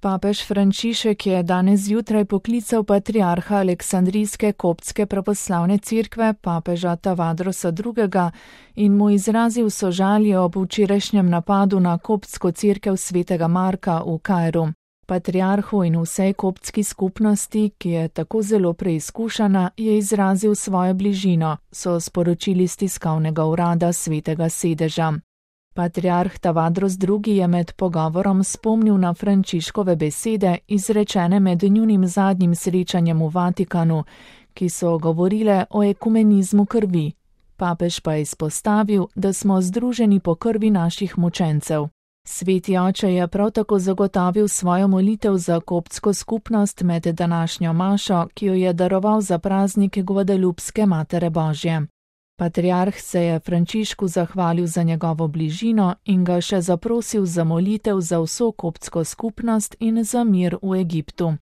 Papež Frančišek je danes zjutraj poklical patriarha Aleksandrijske koptske pravoslavne cerkve, papeža Tavadrosa II. In mu izrazil sožalje ob včerajšnjem napadu na koptsko cerkev svetega Marka v Kairu. Patriarhu in vsej koptski skupnosti, ki je tako zelo preizkušana, je izrazil svojo bližino, so sporočili s tiskovnega urada svetega sedeža. Patriarh Tavadros II. Je med pogovorom spomnil na Frančiškove besede, izrečene med njunim zadnjim srečanjem v Vatikanu, ki so govorile o ekumenizmu krvi. Papež pa je izpostavil, da smo združeni po krvi naših mučencev. Sveti oče je prav tako zagotovil svojo molitev za koptsko skupnost med današnjo mašo, ki jo je daroval za praznik Gvadelupske Matere Božje. Patriarh se je Frančišku zahvalil za njegovo bližino in ga še zaprosil za molitev za vso koptsko skupnost in za mir v Egiptu.